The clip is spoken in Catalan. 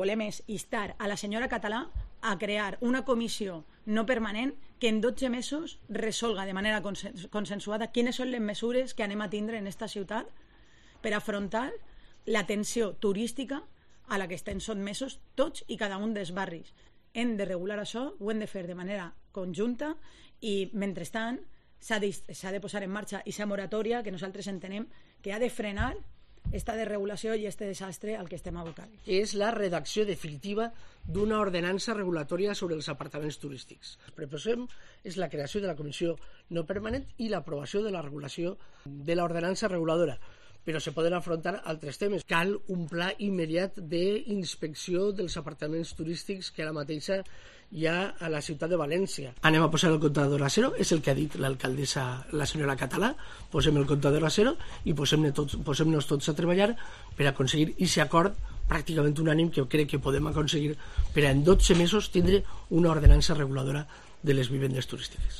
Volem és instar a la senyora Català a crear una comissió no permanent que en 12 mesos resolga de manera consensuada quines són les mesures que anem a tindre en esta ciutat per afrontar la tensió turística a la que estem sotmesos tots i cada un dels barris. Hem de regular això, ho hem de fer de manera conjunta i, mentrestant, s'ha de posar en marxa aquesta moratòria que nosaltres entenem que ha de frenar esta desregulació i este desastre al que estem abocant. És la redacció definitiva d'una ordenança regulatòria sobre els apartaments turístics. El que proposem és la creació de la comissió no permanent i l'aprovació de la regulació de l'ordenança reguladora, però se poden afrontar altres temes. Cal un pla immediat d'inspecció dels apartaments turístics que ara mateixa hi ha a la ciutat de València. Anem a posar el comptador a zero, és el que ha dit l'alcaldessa, la senyora Català. Posem el comptador a zero i posem-nos tots a treballar per aconseguir aquest acord pràcticament unànim que crec que podem aconseguir per en 12 mesos tindre una ordenança reguladora de les vivendes turístiques.